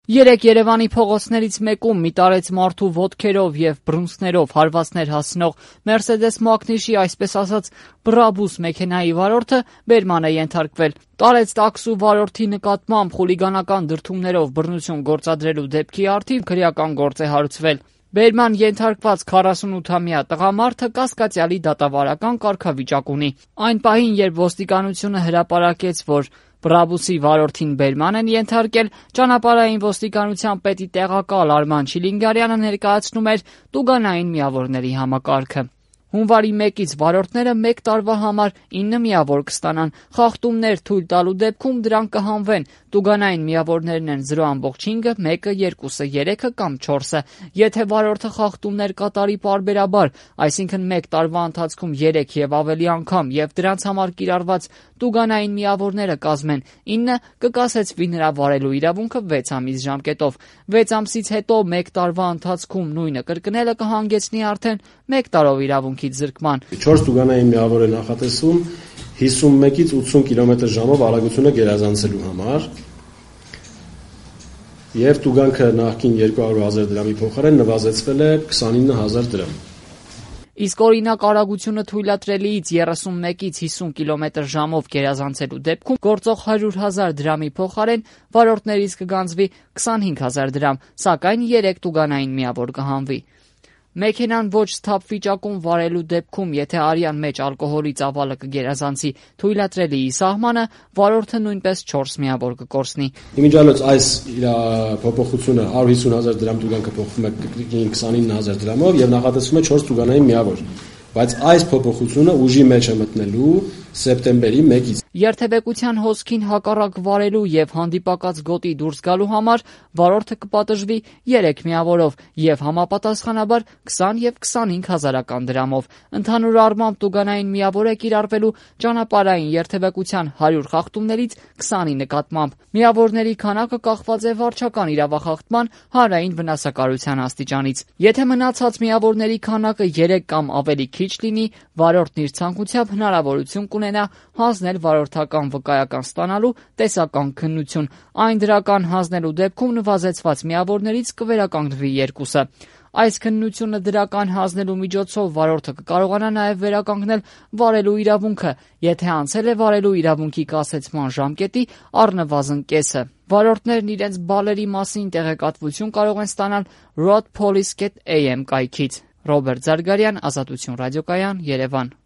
Երեկ Երևանի փողոցներից մեկում մի տարեց մարդու ոտքերով եւ բռունցքներով հարվածներ հասցնող Mercedes Magnus-ի այսպես ասած բռաբուս մեքենայի վարորդը բերման է ենթարկվել։ Տարեց տաքսու վարորդի նկատմամբ խուլիգանական դրդումներով բռնություն գործադրելու դեպքի առթիվ քրեական գործ է հարուցվել։ Բերման ենթարկված 48-ամյա տղամարդը կասկածյալի դատավարական կարգավիճակ ունի։ Այն պահին, երբ ոստիկանությունը հրապարակեց, որ բռաբուսի վարորդին բերման են ենթարկել, ճանապարհային ոստիկանության պետի տեղակալ Արման Չիլինգարյանը ներկայացնում էր տուգանային միավորների համակարգը։ Հունվարի 1-ից վարորդները 1 տարվա համար 9 միավոր կստանան, խախտումներ թույլ տալու դեպքում դրանք կհանվեն։ Տուգանային միավորներն են 0.5-ը, 1-ը, 2-ը, 3-ը կամ 4-ը։ Եթե վարորդը խախտումներ կատարի պարբերաբար, այսինքն 1 տարվա ընթացքում 3 եւ ավելի անգամ եւ դրանց համար կիրառված տուգանային միավորները կազմեն 9, կկասեցվի նրա վարելու իրավունքը 6 ամիս ժամկետով։ 6 ամսից հետո 1 տարվա ընթացքում նույնը կրկնելը կհանգեցնի արդեն 1 տարով իրավունքից զրկման։ 4 տուգանային միավոր է նախատեսվում 51-ից 80 կմ/ժ արագությունը գերազանցելու համար եւ տուգանքը նախկին 200,000 դրամի փոխարեն նվազեցվել է 29,000 դրամ։ Իսկ օրինակ արագությունը թույլատրելիից 31-ից 50 կմ/ժ գերազանցելու դեպքում գործող 100,000 դրամի փոխարեն վարորդներից կգանձվի 25,000 դրամ, սակայն 3 տուգանային միավոր կհանվի։ Մեքենան ոչ սթափ վիճակում վարելու դեպքում, եթե արյան մեջ ալկոհոլի ծավալը կգերազանցի թույլատրելիի սահմանը, վարորդը նույնպես 4 միավոր կկորցնի։ Իմիջիալոց այս փոփոխությունը 150,000 դրամ տուգանքը փոխվում է 29,000 դրամով եւ նախատեսվում է 4 տուգանային միավոր։ Բայց այս փոփոխությունը ուժի մեջ է մտնելու սեպտեմբերի 1-ից։ Երթևեկության հոսքին հակառակ վարելու եւ հանդիպակաց գոտի դուրս գալու համար վարորդը կպատժվի 3 միավորով եւ համապատասխանաբար 20 եւ 25 հազարական դրամով։ Ընդհանուր առմամբ տուգանային միավոր է կիրառվելու ճանապարհային երթևեկության 100 խախտումներից 20-ի նկատմամբ։ Միավորների քանակը կախված է վարչական իրավախախտման հանրային վնասակարության աստիճանից։ Եթե մնացած միավորների քանակը 3 կամ ավելի քիչ լինի, վարորդն իր ցանկությամբ հնարավորություն կունենա հանձնել վարորդական վկայական ստանալու տեսական քննություն։ Այն դրական հանձնելու դեպքում նվազեցված միավորներից կվերականգնվի 2-ը։ Այս քննությունը դրական հանձնելու միջոցով վարորդը կկարողանա նաև վերականգնել վարելու իրավունքը, եթե անցել է վարելու իրավունքի կասեցման ժամկետի առնվազն կեսը։ Վարորդներն իրենց բալերի մասին տեղեկատվություն կարող են ստանալ roadpolice.am կայքից։ Ռոբերտ Զարգարյան, Ազատություն ռադիոկայան, Երևան։